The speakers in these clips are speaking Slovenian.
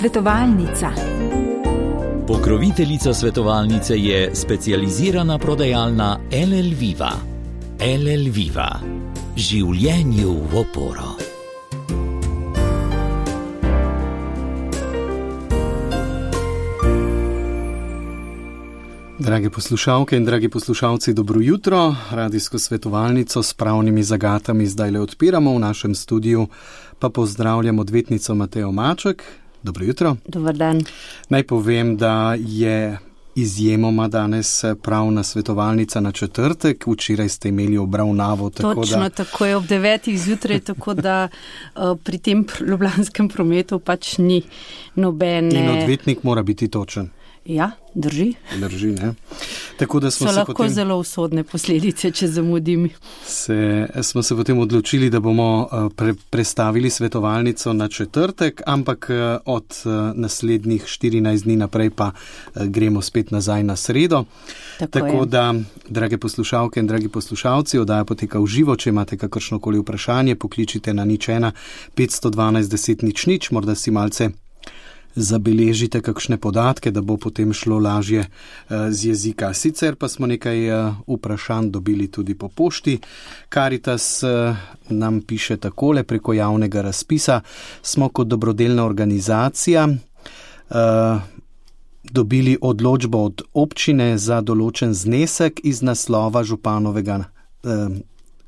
Svetovalnica. Pokroviteljica svetovalnice je specializirana prodajalna LL Viva. LL Viva. Življenju v oporo. Drage poslušalke in dragi poslušalci, dobro jutro. Radijsko svetovalnico s pravnimi zagatami zdaj le odpiramo v našem studiu, pa pozdravljam odvetnico Matejo Maček. Dobro jutro. Dobar dan. Naj povem, da je izjemoma danes pravna svetovalnica na četrtek. Včeraj ste imeli obravnavo. Točno, tako je ob 9. zjutraj, tako da pri tem ljubljanskem prometu pač ni nobene... In odvetnik mora biti točen. Ja, drži. Drži, ne? Tako da smo so lahko potem, zelo usodne posledice, če zamudim. Smo se potem odločili, da bomo prestavili svetovalnico na četrtek, ampak od naslednjih 14 dni naprej pa gremo spet nazaj na sredo. Tako da, drage poslušalke in dragi poslušalci, oddaja poteka v živo. Če imate kakršnokoli vprašanje, pokličite na 01 512 10 00, morda si malce zabeležite kakšne podatke, da bo potem šlo lažje z jezika. Sicer pa smo nekaj vprašanj dobili tudi po pošti. Caritas nam piše takole: preko javnega razpisa smo kot dobrodelna organizacija dobili odločbo od občine za določen znesek iz naslova županovega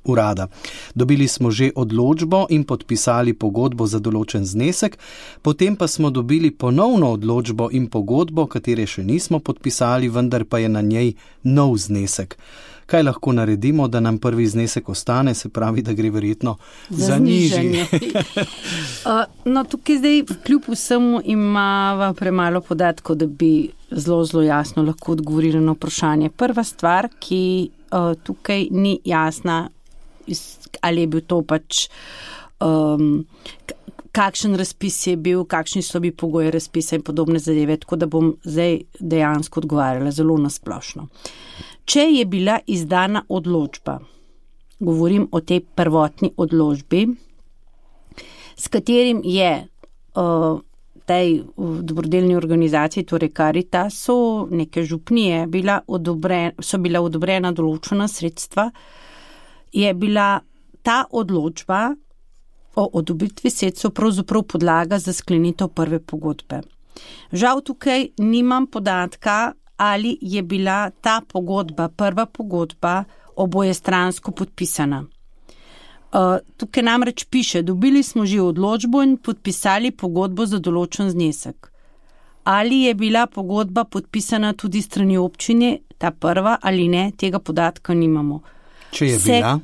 urada. Dobili smo že odločbo in podpisali pogodbo za določen znesek, potem pa smo dobili ponovno odločbo in pogodbo, katere še nismo podpisali, vendar pa je na njej nov znesek. Kaj lahko naredimo, da nam prvi znesek ostane, se pravi, da gre verjetno za nižji? No, tukaj zdaj kljub vsemu imava premalo podatkov, da bi zelo jasno lahko odgovorili na vprašanje. Prva stvar, ki tukaj ni jasna, ali je bil to pač, kakšen razpis je bil, kakšni so bili pogoji razpisa in podobne zadeve, tako da bom zdaj dejansko odgovarjala zelo nasplošno. Če je bila izdana odločba, govorim o tej prvotni odločbi, s katerim je tej dobrodelni organizaciji, torej Caritasu, neke župnije, so bila odobrena določena sredstva, je bila ta odločba o odobritvi sredstev pravzaprav podlaga za sklenitev prve pogodbe. Žal tukaj nimam podatka, ali je bila ta pogodba, prva pogodba, obojestransko podpisana. Tukaj namreč piše: dobili smo že odločbo in podpisali pogodbo za določen znesek. Ali je bila pogodba podpisana tudi strani občine, ta prva, ali ne, tega podatka nimamo. Če je bila?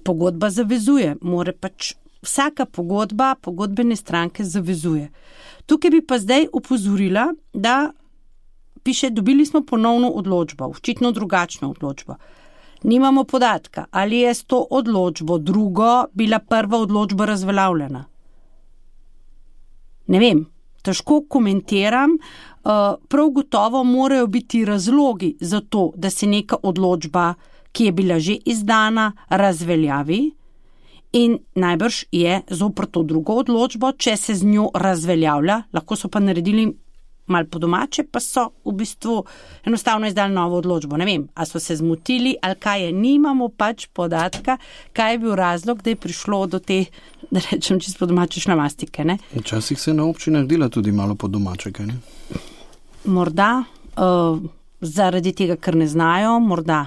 Pogodba zavezuje, more pač vsaka pogodba, pogodbene stranke zavezuje. Tukaj bi pa zdaj opozorila, da piše, dobili smo ponovno odločbo, očitno drugačno odločbo. Nimamo podatka, ali je s to odločbo drugo bila prva odločba razveljavljena. Ne vem, težko komentiram, prav gotovo morajo biti razlogi za to, da se neka odločba, ki je bila že izdana, razveljavi, in najbrž je zoper to drugo odločbo, če se z njo razveljavlja, lahko so pa naredili malo po domače, pa so v bistvu enostavno izdali novo odločbo. Ne vem, a so se zmotili ali kaj je, nimamo pač podatka, kaj je bil razlog, da je prišlo do te, da rečem čisto po domače, šlamastike, ne? Včasih se na občinah dela tudi malo po domače, kaj ne? Morda zaradi tega, ker ne znajo, morda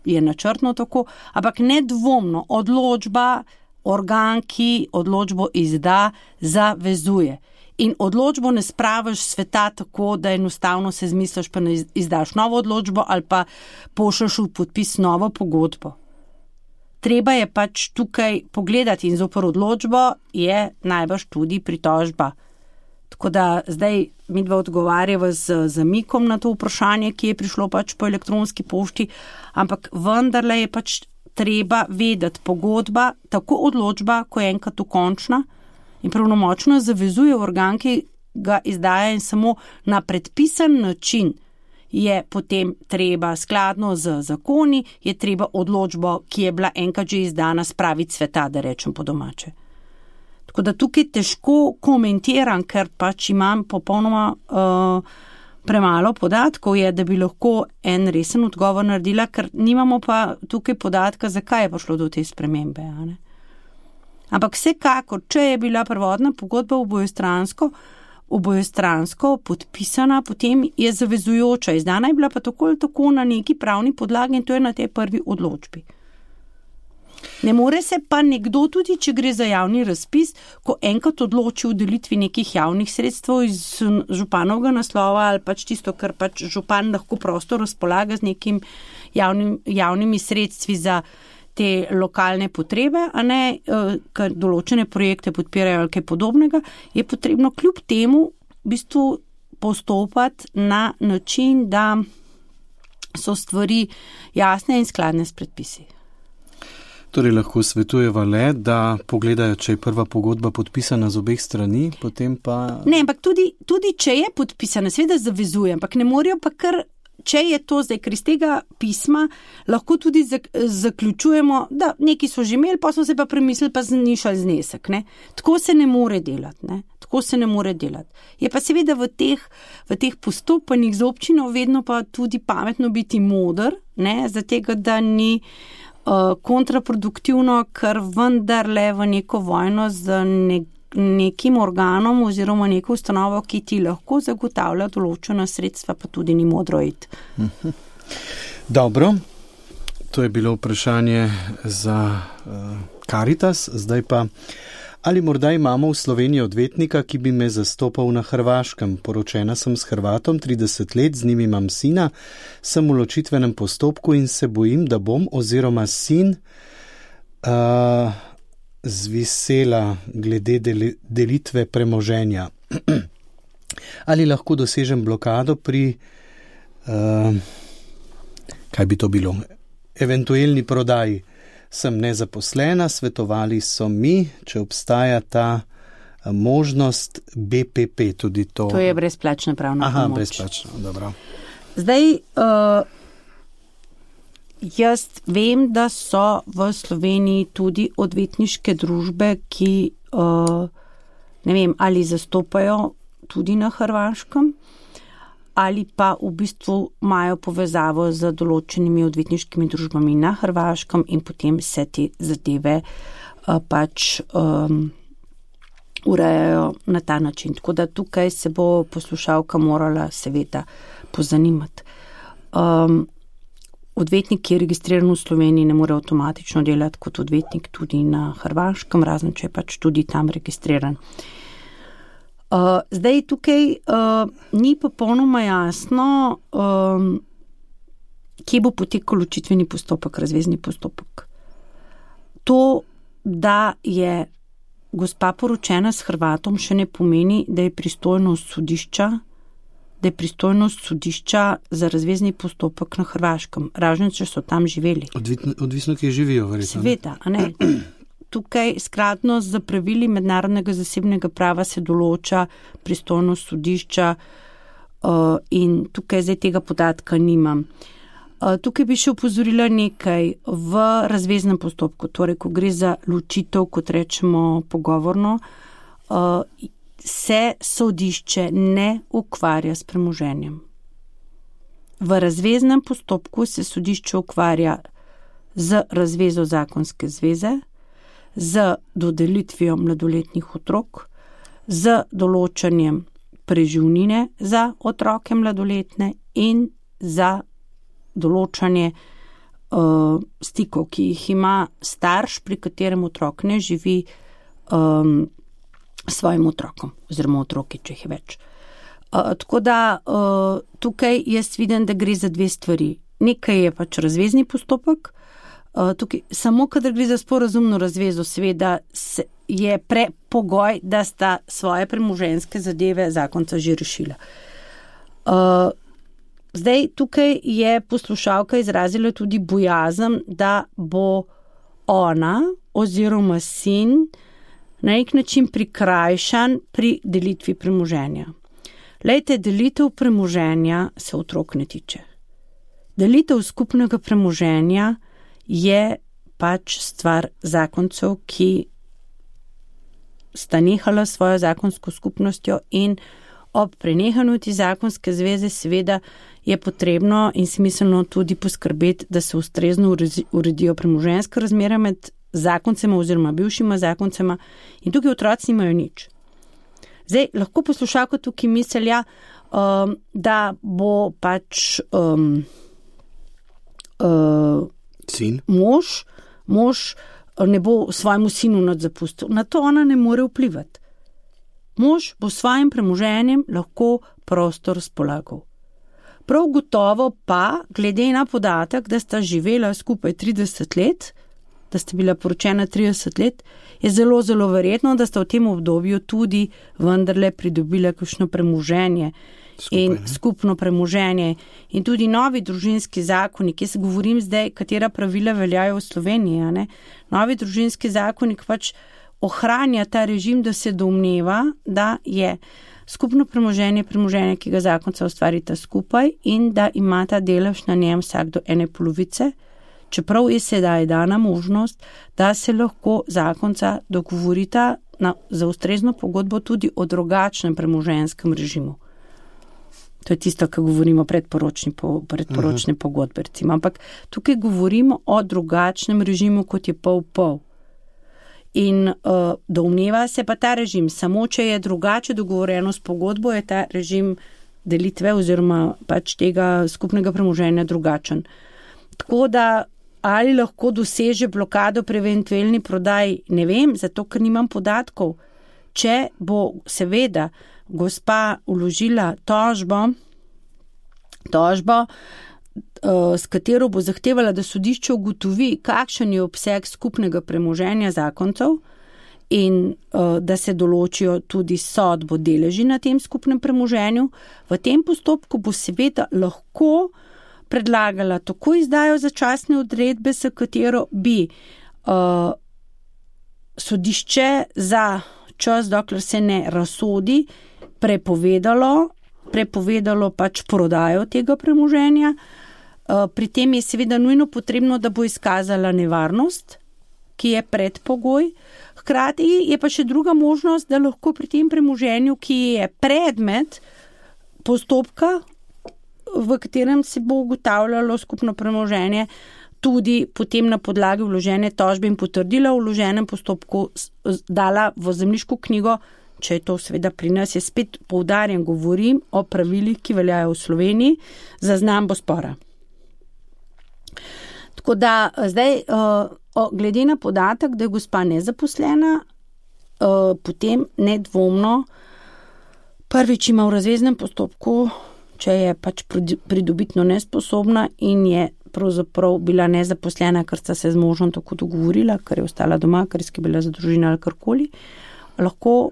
je načrtno tako, ampak nedvomno odločba, organ, ki odločbo izda, zavezuje. In odločbo ne spraviš sveta tako, da enostavno se zmisliš, pa ne izdaš novo odločbo ali pa pošlješ v podpis novo pogodbo. Treba je pač tukaj pogledati in zoper odločbo je najbrž tudi pritožba. Tako da zdaj midva odgovarjava z zamikom na to vprašanje, ki je prišlo pač po elektronski pošti, ampak vendarle je pač treba vedeti, pogodba, tako odločba, ko je enkrat dokončna in pravnomočno zavezuje organ, ki ga izdaja, in samo na predpisan način je potem treba skladno z zakoni, je treba odločbo, ki je bila enkrat že izdana, spraviti sveta, da rečem po domače. Tako da tukaj težko komentiram, ker pač imam popolnoma premalo podatkov, da bi lahko en resen odgovor naredila, ker nimamo pa tukaj podatka, zakaj je prišlo do te spremembe. Ampak vsekakor, če je bila prvotna pogodba obojestransko podpisana, potem je zavezujoča. Izdana je bila pa tako ali tako na neki pravni podlagi in to je na tej prvi odločbi. Ne more se pa nekdo, tudi če gre za javni razpis, ko enkrat odloči o delitvi nekih javnih sredstev iz županovega naslova ali pač tisto, kar pač župan lahko prosto razpolaga z nekim javnimi sredstvi za te lokalne potrebe, a ne, ker določene projekte podpirajo ali kaj podobnega, je potrebno kljub temu v bistvu postopati na način, da so stvari jasne in skladne s predpisi. Torej lahko svetujeva le, da pogledajo, če je prva pogodba podpisana z obeh strani, potem pa... Ne, ampak tudi če je podpisana, seveda zavezuje, ampak ne morajo pa kar, če je to zdaj, ker iz tega pisma lahko tudi zaključujemo, da neki so že imeli, pa smo se pa premislili, pa znišali znesek. Ne? Tako se ne more delati. Ne? Tako se ne more delati. Je pa seveda v teh postopanjih z občino vedno pa tudi pametno biti moder, ne? Zatega, da ni kontraproduktivno, ker vendarle v neko vojno z nekim organom oziroma neko ustanovo, ki ti lahko zagotavlja določena sredstva, pa tudi ni modro iti. Dobro, to je bilo vprašanje za Karitas, zdaj pa, ali morda imamo v Sloveniji odvetnika, ki bi me zastopal na Hrvaškem? Poročena sem s Hrvatom 30 let, z njim imam sina, sem v ločitvenem postopku in se bojim, da bom oziroma sin zvisela glede delitve premoženja. Ali lahko dosežem blokado pri, kaj bi to bilo, eventualni prodaji? Sem nezaposlena, svetovali so mi, če obstaja ta možnost BPP, tudi to. To je brezplačna pravna pomoč. Aha, brezplačna, dobro. Zdaj, jaz vem, da so v Sloveniji tudi odvetniške družbe, ki, ne vem, ali zastopajo tudi na Hrvaškem, ali pa v bistvu imajo povezavo z določenimi odvetniškimi družbami na Hrvaškem in potem se te zadeve pač urejajo na ta način. Tako da tukaj se bo poslušalka morala seveda pozanimati. Odvetnik, ki je registriran v Sloveniji, ne more avtomatično delati kot odvetnik tudi na Hrvaškem, razen če je pač tudi tam registriran. Zdaj tukaj ni popolnoma jasno, kje bo potekal ločitveni postopek, razvezni postopek. To, da je gospa poročena s Hrvatom, še ne pomeni, da je pristojnost sodišča za razvezni postopek na Hrvaškem, razen če so tam živeli. Odvisno, ki živijo, verjetno. Sveta, a ne? Tukaj skladno z pravili mednarodnega zasebnega prava se določa pristojnost sodišča in tukaj zdaj tega podatka nimam. Tukaj bi še opozorila nekaj v razveznem postopku, torej ko gre za ločitev, kot rečemo pogovorno, se sodišče ne ukvarja s premoženjem. V razveznem postopku se sodišče ukvarja z razvezo zakonske zveze, z dodelitvijo mladoletnih otrok, z določanjem preživnine za otroke mladoletne in za določanje stikov, ki jih ima starš, pri katerem otrok ne živi svojim otrokom oziroma otroki, če jih je več. Tako da tukaj jaz vidim, da gre za dve stvari. Nekaj je pač razvezni postopek, tukaj, samo kadar gre za sporazumno razvezo, seveda je prepogoj, da sta svoje premoženjske zadeve zakonca že rešila. Zdaj, tukaj je poslušalka izrazila tudi bojazen, da bo ona oziroma sin na nek način prikrajšan pri delitvi premoženja. Lejte, delitev premoženja se otrok ne tiče. Delitev skupnega premoženja je pač stvar zakoncev, ki sta nehala svojo zakonsko skupnostjo in ob prenehanju te zakonske zveze seveda je potrebno in smiselno tudi poskrbeti, da se ustrezno uredijo premoženjska razmerja med zakoncema oziroma bivšima zakoncema in tukaj otroci nimajo nič. Zdaj, lahko poslušalka tukaj misli, da bo pač sin? Mož ne bo svojemu sinu nič zapustil. Na to ona ne more vplivati. Mož bo svojim premoženjem lahko prosto razpolagal. Prav gotovo pa, glede na podatek, da sta živela skupaj 30 let, da sta bila poročena 30 let, je zelo, zelo verjetno, da sta v tem obdobju tudi vendarle pridobila kakšno premoženje in skupno premoženje. In tudi novi družinski zakonik, jaz govorim zdaj, katera pravila veljajo v Sloveniji, ne? Novi družinski zakonik pač ohranja ta režim, da se domneva, da je skupno premoženje, ki ga zakonca ustvarita skupaj in da imata delež na njem vsak do ene polovice, čeprav je sedaj dana možnost, da se lahko zakonca dogovorita za ustrezno pogodbo tudi o drugačnem premoženjskem režimu. To je tisto, kar govorimo predporočne pogodbe, recimo. Ampak tukaj govorimo o drugačnem režimu, kot je pol-pol. In domneva se pa ta režim, samo če je drugače dogovorjeno s pogodbo, je ta režim delitve oziroma pač tega skupnega premoženja drugačen. Tako da ali lahko doseže blokado pri eventualni prodaji, ne vem, zato ker nimam podatkov. Če bo seveda gospa vložila tožbo, s katero bo zahtevala, da sodišče ugotovi, kakšen je obseg skupnega premoženja zakoncev in da se določijo tudi sodbo deleži na tem skupnem premoženju. V tem postopku bo seveda lahko predlagala tako izdajo začasne odredbe, s katero bi sodišče za čas, dokler se ne razsodi, prepovedalo pač prodajo tega premoženja. Pri tem je seveda nujno potrebno, da bo izkazala nevarnost, ki je predpogoj. Hkrati je pa še druga možnost, da lahko pri tem premoženju, ki je predmet postopka, v katerem se bo ugotavljalo skupno premoženje, tudi potem na podlagi vložene tožbe in potrdila v vloženem postopku dala v zemljiško knjigo, če je to seveda pri nas, je spet poudarjam, govorim o pravilih, ki veljajo v Sloveniji, zaznambo spora. Tako da zdaj, glede na podatek, da je gospa nezaposlena, potem nedvomno prvič ima v razveznem postopku, če je pač pridobitno nesposobna in je pravzaprav bila nezaposlena, ker sta se z možem tako dogovorila, ker je ostala doma, ker je skrbela za družino ali karkoli, lahko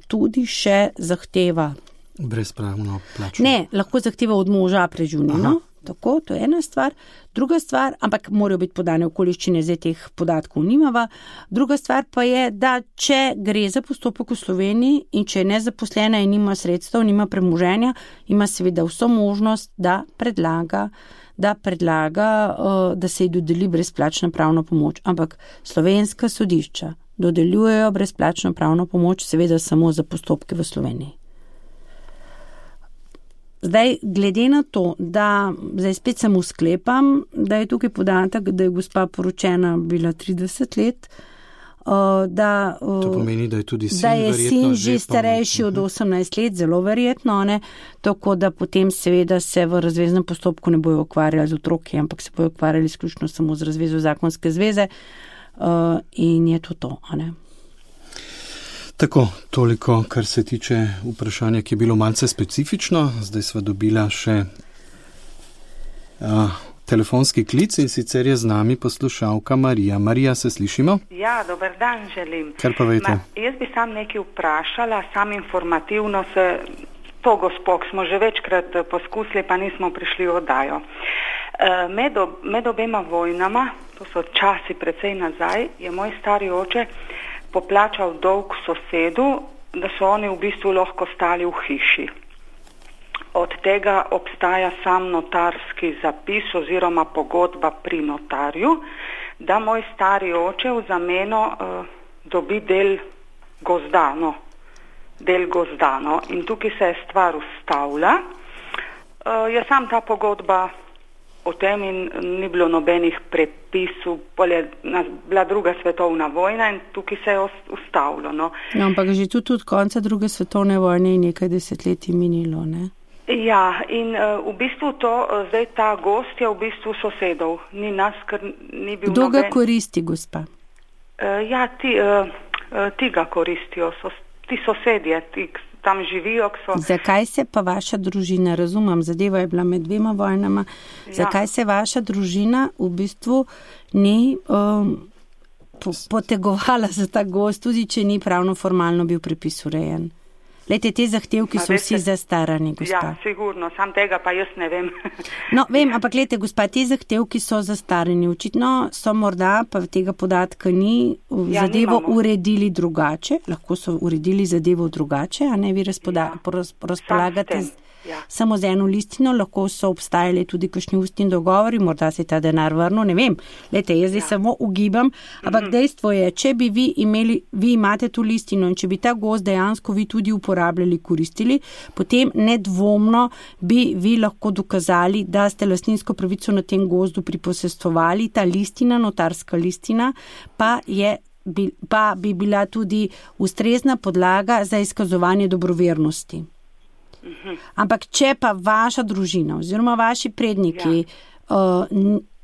tudi še zahteva. Brezpravno plačo. Ne, lahko zahteva od moža preživnino. Tako, to je ena stvar. Druga stvar, ampak morajo biti podane okoliščine, zdaj teh podatkov nimava. Druga stvar pa je, da če gre za postopek v Sloveniji in če je nezaposlena in nima sredstev, nima premoženja, ima seveda vso možnost, da predlaga, da se ji dodeli brezplačna pravna pomoč. Ampak slovenska sodišča dodeljujejo brezplačno pravno pomoč seveda samo za postopke v Sloveniji. Zdaj, glede na to, da zdaj spet samo sklepam, da je tukaj podatek, da je gospa poročena bila 30 let, to pomeni, da je tudi sin, da je sin že starejši od 18 let, zelo verjetno, ne? Tako da potem seveda se v razveznem postopku ne bojo ukvarjali z otroki, ampak se bojo ukvarjali izključno samo z razvezo zakonske zveze in je to, ne? Tako, toliko, kar se tiče vprašanja, ki je bilo malce specifično. Zdaj sva dobila še telefonski klic in sicer je z nami poslušalka Marija. Marija, se slišimo? Ja, dober dan želim. Kar pa vejte? Jaz bi sam nekaj vprašala, sam informativno se to gospok smo že večkrat poskusili, pa nismo prišli v oddajo. Med obema vojnama, to so časi precej nazaj, je moj stari oče poplačal dolg sosedu, da so oni v bistvu lahko stali v hiši. Od tega obstaja sam notarski zapis oziroma pogodba pri notarju, da moj stari oče v zameno dobi del gozda, del gozda, in tukaj se je stvar ustavila. Je sam ta pogodba o tem in ni bilo nobenih prepisov, bila druga svetovna vojna in tukaj se je ustavilo. No, ampak že tudi od konca druge svetovne vojne je nekaj desetletij minilo, ne? Ja, in v bistvu zdaj ta gozd je v bistvu sosedov, ni nas, ker ni bil Kdo ga koristi, gospa? Ja, ti ga koristijo, ti sosedje, ti tam živijo. Zakaj se pa vaša družina, razumem, zadeva je bila med dvema vojnama, zakaj se vaša družina v bistvu ni potegovala za ta gozd, tudi če ni pravno formalno bil prepis urejen? Lejte, te zahtevki so vsi zastarani, gospa. Ja, sigurno, sam tega pa jaz ne vem. No, vem, ampak lejte, gospa, te zahtevki so zastarani. Očitno so morda, pa tega podatka ni, zadevo uredili drugače, lahko so uredili zadevo drugače, a ne vi razpolagate samo z eno listino, lahko so obstajali tudi kakšni ustni dogovori, morda se ta denar vrnil, ne vem. Lejte, jaz zdaj samo ugibam, ampak dejstvo je, če bi vi imate tu listino in če bi ta gozd dejansko vi tudi uporabljali, koristili, potem nedvomno bi vi lahko dokazali, da ste lastninsko pravico na tem gozdu priposestvovali, ta listina, notarska listina, pa bi bila tudi ustrezna podlaga za izkazovanje dobrovernosti. Ampak če pa vaša družina oziroma vaši predniki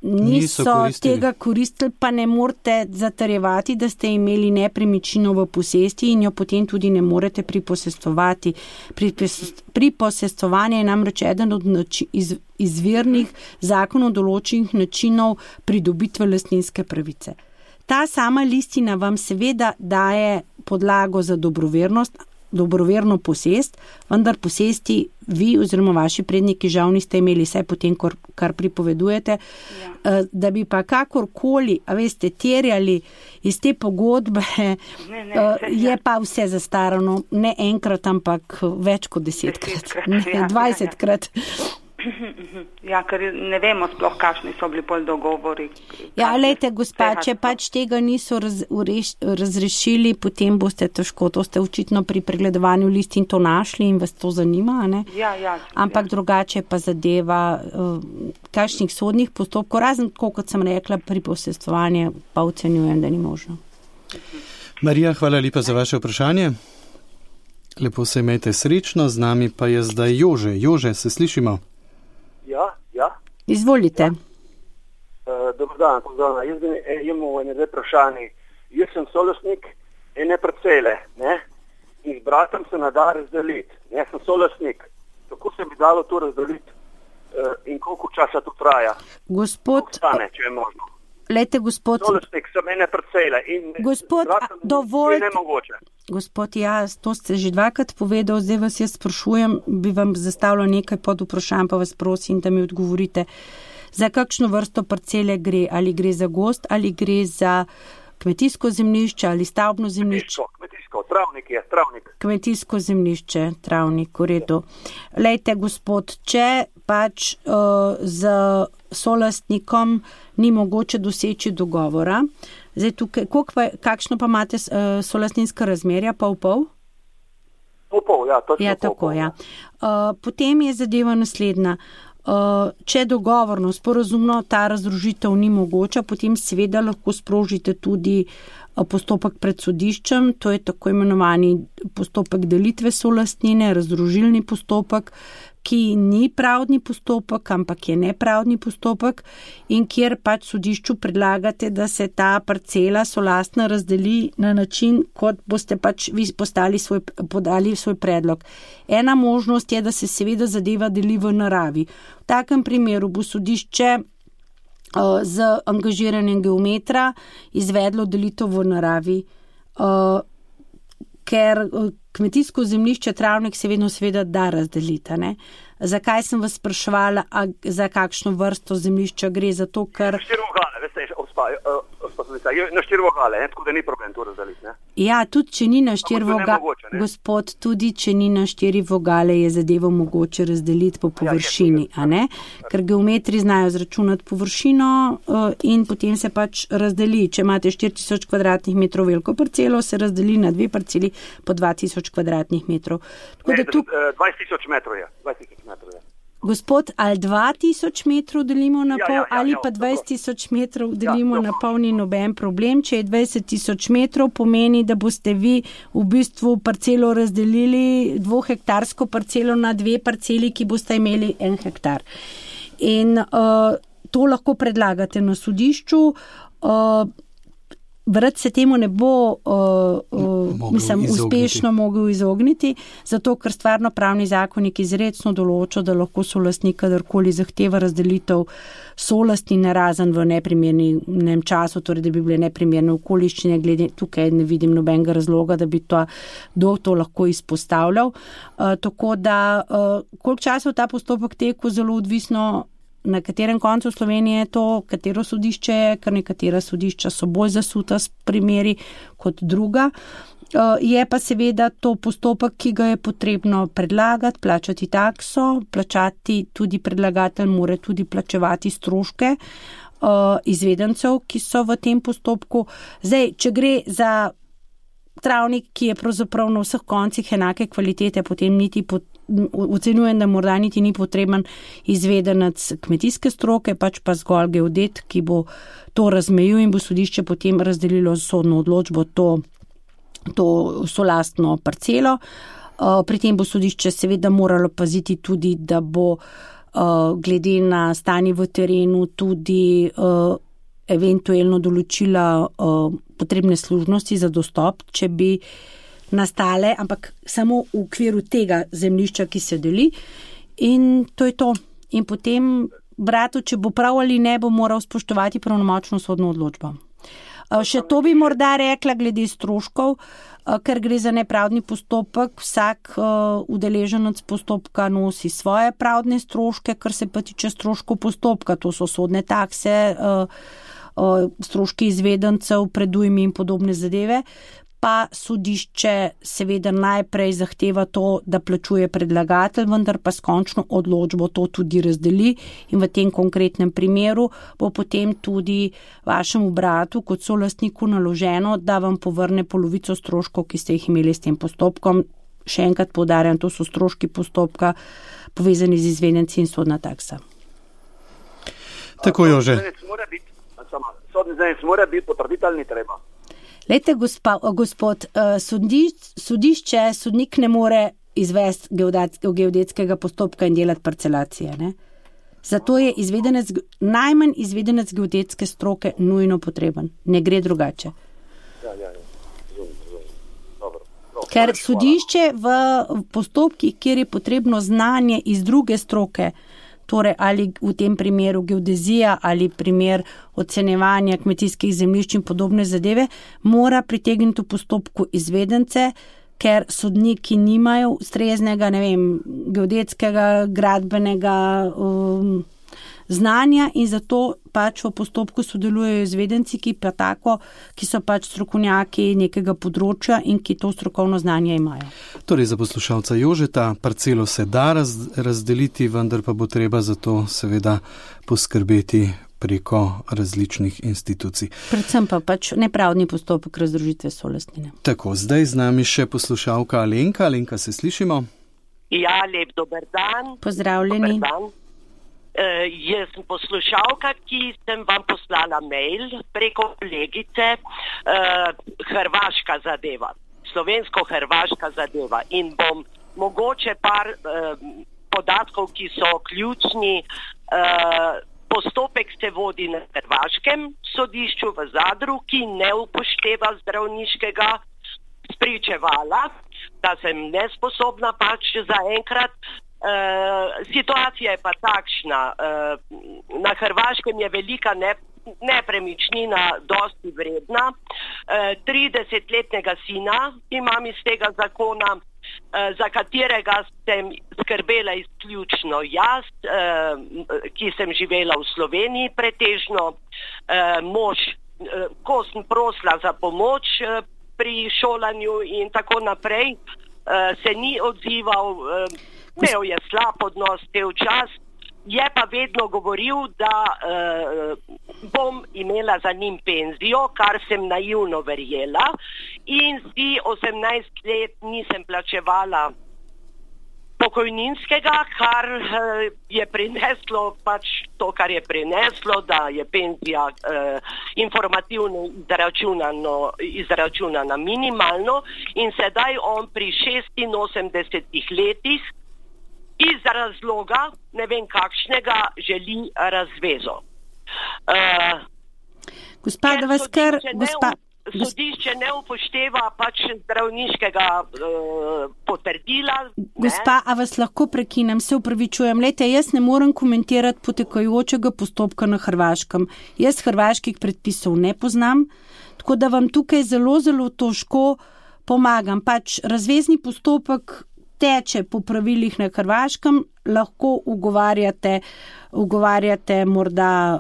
niso tega koristili, pa ne morete zatrjevati, da ste imeli nepremičnino v posesti in jo potem tudi ne morete priposestvovati. Priposestvovanje je namreč eden od izvirnih zakonov določenih načinov pridobitve lastninske pravice. Ta sama listina vam seveda daje podlago za dobroverno posest, vendar posesti vi oziroma vaši predniki žal niste imeli, vse potem, kar pripovedujete, da bi pa kakorkoli, terjali iz te pogodbe, je pa vse zastarano, ne enkrat, ampak več kot 10-krat, 20-krat. Ja, ker ne vemo sploh, kakšni so bili pol dogovori. Ja, lejte, gospa, če pač tega niso razrešili, potem boste težko. To ste očitno pri pregledovanju listin to našli in vas to zanima, ne? Ja. Ampak drugače pa zadeva kakšnih sodnih postopkov, razen tako, kot sem rekla, priposestvovanje pa ocenjujem, da ni možno. Marija, hvala lepa za vaše vprašanje. Lepo se imejte srečno, z nami pa je zdaj Jože. Jože, se slišimo? Ja. Izvolite. Dobar dan, pozdravljena. Jaz imam dve vprašanji. Jaz sem solastnik ene parcele, ne? In z bratom se nada razdeliti. Jaz sem solastnik. Kako se bi dalo to razdeliti in koliko časa to traja? Gospod, stane, če je možno. Lejte, gospod, solastnik sem ene parcele in gospod, dovolj je nemogoče. Gospod, to ste že dvakrat povedal, zdaj vas jaz sprašujem, bi vam zastavila nekaj pod vprašanj, pa vas prosim, da mi odgovorite. Za kakšno vrsto parcele gre? Ali gre za gozd, ali gre za kmetijsko zemljišče, ali stavbno zemljišče? Kmetijsko, travnik je, travnik. Kmetijsko zemljišče, travnik, v redu. Lejte, gospod, če pač z solastnikom ni mogoče doseči dogovora, zdaj tukaj, kakšno pa imate solastninska razmerja, pol? Pol, ja, točno ja, tako, ja. Potem je zadeva naslednja. Če dogovorno, sporazumno ta razdružitev ni mogoča, potem seveda lahko sprožite tudi postopek pred sodiščem, to je tako imenovani postopek delitve solastnine, razdružilni postopek, ki ni pravdni postopek, ampak je nepravdni postopek in kjer pač sodišču predlagate, da se ta parcela solastna razdeli na način, kot boste pač vi podali svoj predlog. Ena možnost je, da se seveda zadeva deli v naravi. V takem primeru bo sodišče z angažiranjem geometra izvedlo delitev v naravi, ker kmetijsko zemljišče travnik se vedno seveda da razdelita, ne? Zakaj sem vas spraševala, za kakšno vrsto zemljišča gre? Zato, ker... Štirogane, veste, Na 4 vogale, tako da ni problem to razdeliti. Ne? Ja, tudi če ni na 4 vogale, gospod, tudi če ni na 4 vogale, je zadevo mogoče razdeliti po površini, a ne? Ker geometri znajo zračunati površino in potem se pač razdeli. Če imate 4000 kvadratnih metrov veliko parcelo, se razdeli na 2 parceli po 2000 kvadratnih metrov. Ne, 20 000 metrov je. 20 000 metrov je. Gospod, ali 2000 metrov delimo na pol, ali pa 20 000 metrov delimo na pol, ni noben problem. Če je 20 000 metrov, pomeni, da boste vi v bistvu parcelo razdelili, 2-hektarsko parcelo na 2 parceli, ki boste imeli 1 hektar. In to lahko predlagate na sodišču. Vrat se temu ne bo uspešno mogel izogniti, zato ker stvarno pravni zakonik izrecno določa, da lahko solastnik kadarkoli zahteva razdelitev solastnine razen v neprimernem času, torej da bi bile neprimerne okoliščine, glede tukaj ne vidim nobenega razloga, da bi to lahko izpostavljal. Tako da, koliko časa v ta postopek teku, zelo odvisno, na katerem koncu Slovenije je to, katero sodišče je, ker nekatera sodišča so bolj zasuta s primeri kot druga. Je pa seveda to postopek, ki ga je potrebno predlagati, plačati takso, plačati tudi predlagatelj, mora tudi plačevati stroške izvedencev, ki so v tem postopku. Zdaj, če gre za travnik, ki je pravzaprav na vseh koncih enake kvalitete, potem ocenjujem, da morda niti ni potreben izvedenec kmetijske stroke, pač pa zgolj geodet, ki bo to razmejil in bo sodišče potem razdelilo z sodno odločbo to solastno parcelo. Pri tem bo sodišče seveda moralo paziti tudi, da bo glede na stanje v terenu tudi eventualno določila potrebne služnosti za dostop, če bi nastale, ampak samo v okviru tega zemljišča, ki se deli. In to je to. In potem bratu, če bo prav ali ne, bo moral spoštovati pravnomočno sodno odločbo. Še to bi morda rekla glede stroškov, ker gre za nepravdni postopek. Vsak udeleženec postopka nosi svoje pravdne stroške, kar se pa tiče stroškov postopka. To so sodne takse, stroški izvedencev, predujmi in podobne zadeve. Pa sodišče seveda najprej zahteva to, da plačuje predlagatelj, vendar pa s končno odločbo to tudi razdeli in v tem konkretnem primeru bo potem tudi vašemu bratu kot solastniku naloženo, da vam povrne polovico stroškov, ki ste jih imeli s tem postopkom. Še enkrat poudarjam, to so stroški postopka povezani z izvedenci in sodna taksa. Tako, Jože. Sodni izvedenec mora biti potrditelj, ni treba. Lejte, gospod, sodišče, sodnik ne more izvesti geodetskega postopka in delati parcelacije. Ne? Zato je najmanj izvedenec geodetske stroke nujno potreben. Ne gre drugače. Ja. Dobro. Ker sodišče v postopkih, kjer je potrebno znanje iz druge stroke, torej ali v tem primeru geodezija ali primer ocenjevanja kmetijskih zemljišč in podobne zadeve, mora pritegniti v postopku izvedence, ker sodniki nimajo ustreznega, geodetskega, gradbenega znanja in zato pač v postopku sodelujejo izvedenci, ki so pač strokovnjaki nekega področja in ki to strokovno znanje imajo. Torej, za poslušalca Jožeta, parcelo se da razdeliti, vendar pa bo treba za to seveda poskrbeti preko različnih institucij. Predvsem pa pač nepravdni postopek razdružitve solastnine. Tako, zdaj z nami še poslušalka Alenka. Alenka, se slišimo? Ja, lep dober dan. Pozdravljeni. Dober dan. Jaz sem poslušalka, ki sem vam poslala mail preko kolegice, hrvaška zadeva, slovensko-hrvaška zadeva in bom mogoče par podatkov, ki so ključni. Postopek se vodi na hrvaškem sodišču v Zadru, ki ne upošteva zdravniškega spričevala, da sem nesposobna pač zaenkrat. Situacija je pa takšna, na Hrvaškem je velika nepremičnina dosti vredna, 30-letnega sina imam iz tega zakona, za katerega sem skrbela izključno jaz, ki sem živela v Sloveniji pretežno, mož ko sem prosila za pomoč pri šolanju in tako naprej, se ni odzival, imel je slab odnos cel čas, je pa vedno govoril, da bom imela za njim penzijo, kar sem naivno verjela, in si 18 let nisem plačevala pokojninskega, kar je prineslo pač to, kar je prineslo, da je penzija informativno izračunana minimalno, in sedaj on pri 86 letih iz razloga, ne vem kakšnega, želi razvezo. Gospa, da vas kar... Sodišče ne upošteva pač zdravniškega potrdila. Gospa, a vas lahko prekinem, se upravičujem. Lejte, jaz ne morem komentirati potekajočega postopka na Hrvaškem. Jaz hrvaških predpisov ne poznam, tako da vam tukaj zelo, zelo težko pomagam. Pač razvezni postopek teče po pravilih na Hrvaškem, lahko ugovarjate morda...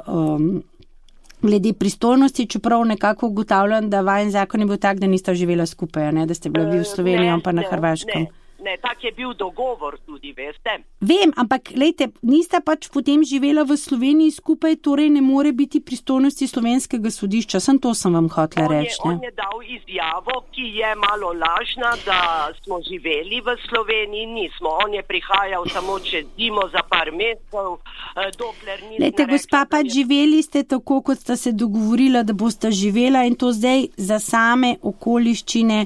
glede pristojnosti, čeprav nekako ugotavljam, da vajen zakon je bil tak, da nista živela skupaj, ne? Da ste bila vi v Sloveniji, pa na Hrvaškem. Ne, tak je bil dogovor tudi, veste. Vem, ampak lejte, nista pač potem živela v Sloveniji skupaj, torej ne more biti pristojnosti slovenskega sodišča. Sem vam hotela reči. On je dal izjavo, ki je malo lažna, da smo živeli v Sloveniji, nismo. On je prihajal samo čez zimo za par mesecev, dokler nismo. Lejte, gospa, pač živeli ste tako, kot sta se dogovorila, da boste živela, in to zdaj za same okoliščine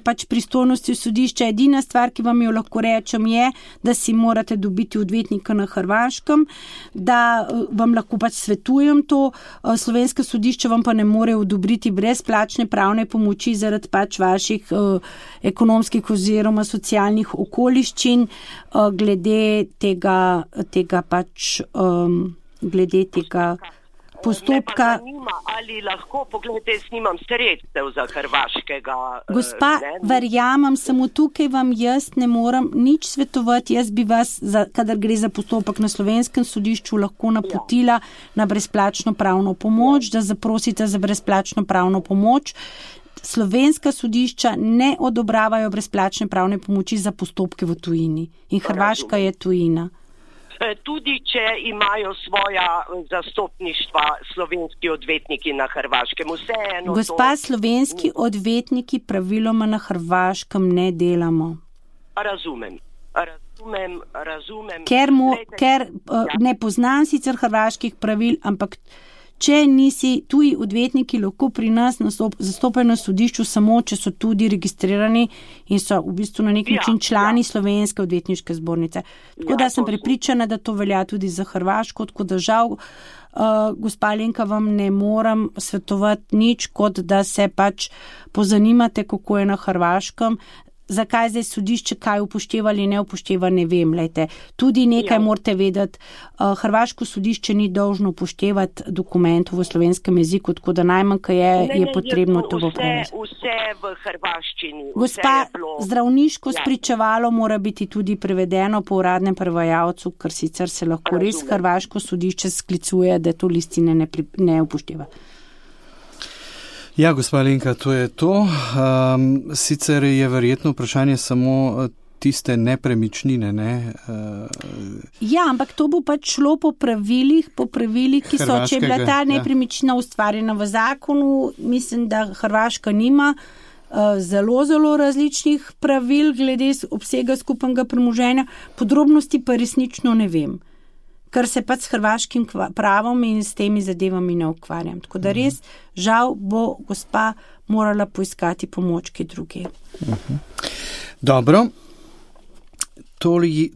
pač pristojnosti sodišča. Edina stvar, ki vam jo lahko rečem, je, da si morate dobiti odvetnika na Hrvaškem, da vam lahko pač svetujem to. Slovenska sodišča vam pa ne more odobriti brezplačne pravne pomoči zaradi pač vaših ekonomskih oziroma socialnih okoliščin, glede tega postopka. Ali lahko, pogledajte, snimam sredstev za hrvaškega. Gospa, verjamem, samo tukaj vam jaz ne moram nič svetovati. Jaz bi vas, kadar gre za postopek na slovenskem sodišču, lahko napotila na brezplačno pravno pomoč, da zaprosite za brezplačno pravno pomoč. Slovenska sodišča ne odobravajo brezplačne pravne pomoči za postopke v tujini. In Hrvaška je tujina. Tudi če imajo svoja zastopništva slovenski odvetniki na Hrvaškem. Vseeno. Gospa, slovenski odvetniki praviloma na Hrvaškem ne delamo. Razumem. Ker ne poznam sicer hrvaških pravil, ampak če nisi, tuji odvetniki lahko pri nas zastopajo na sodišču samo, če so tudi registrirani in so v bistvu na nek način člani Slovenske odvetniške zbornice. Tako da sem prepričana, da to velja tudi za Hrvaško, tako da žal, gospa Alenka, vam ne moram svetovati nič, kot da se pač pozanimate, kako je na Hrvaškem. Zakaj zdaj sodišče kaj upošteva ali ne upošteva, ne vem. Lejte, tudi nekaj morate vedeti, hrvaško sodišče ni dolžno upoštevati dokumentov v slovenskem jeziku, tako da najmanj, kaj je potrebno to popraviti. Vse v hrvaščini. Gospa, zdravniško spričevalo mora biti tudi prevedeno po uradnem prevajalcu, ker sicer se lahko res hrvaško sodišče sklicuje, da to listine ne upošteva. Ja, gospa Alenka, to je to. Sicer je verjetno vprašanje samo tiste nepremičnine, ne? Ja, ampak to bo pač šlo po pravilih, ki so, če je bila ta nepremičnina ustvarjena v zakonu. Mislim, da Hrvaška nima zelo, zelo različnih pravil glede obsega skupnega premoženja. Podrobnosti pa resnično ne vem, ker se pač s hrvaškim pravom in s temi zadevami ne ukvarjam. Tako da res, žal, bo gospa morala poiskati pomoč kje druge. Dobro.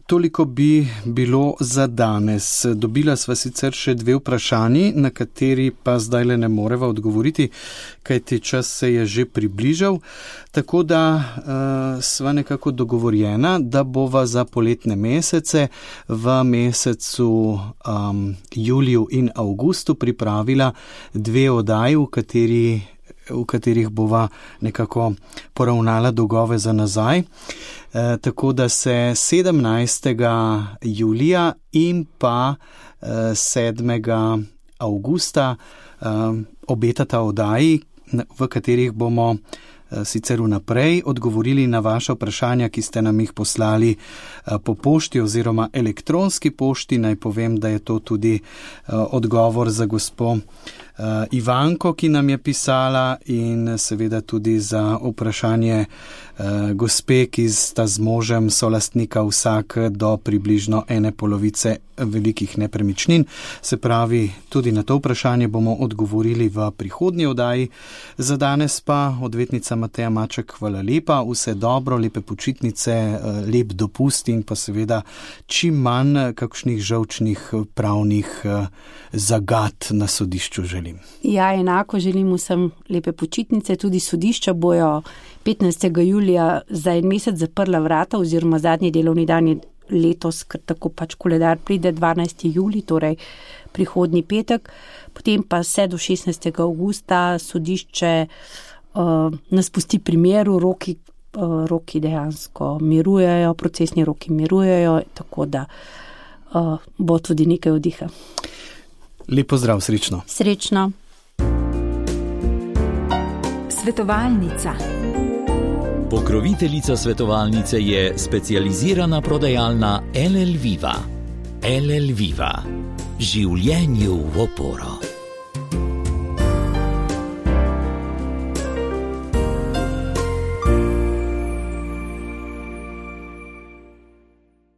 Toliko bi bilo za danes. Dobila sva sicer še 2 vprašanji, na kateri pa zdaj ne moreva odgovoriti, kajti čas se je že približal. Tako da sva nekako dogovorjena, da bova za poletne mesece v mesecu juliju in avgustu pripravila 2 oddaji, v katerih bova nekako poravnala dolgove za nazaj. Tako da se 17. julija in pa 7. avgusta obetata oddaji, v katerih bomo sicer vnaprej odgovorili na vaše vprašanja, ki ste nam jih poslali po pošti oziroma elektronski pošti. Naj povem, da je to tudi odgovor za gospo Ivanko, ki nam je pisala, in seveda tudi za vprašanje gospe, ki sta z možem solastnika vsak do približno 1/2 velikih nepremičnin. Se pravi, tudi na to vprašanje bomo odgovorili v prihodnji oddaji. Za danes pa odvetnica Mateja Maček, hvala lepa, vse dobro, lepe počitnice, lep dopust in pa seveda čim manj kakšnih žolčnih pravnih zagat na sodišču želim. Ja, enako želim vsem lepe počitnice, tudi sodišča bojo 15. julija za en mesec zaprla vrata oziroma zadnji delovni dan je letos, ker tako pač koledar pride 12. julij, torej prihodnji petek, potem pa vse do 16. avgusta sodišče nas pusti pri miru, roki dejansko mirujejo, procesni roki mirujejo, tako da bo tudi nekaj oddiha. Lep pozdrav, srečno. Srečno. Svetovalnica. Pokroviteljica svetovalnice je specializirana prodajalna LL Viva. LL Viva. Življenju v oporo.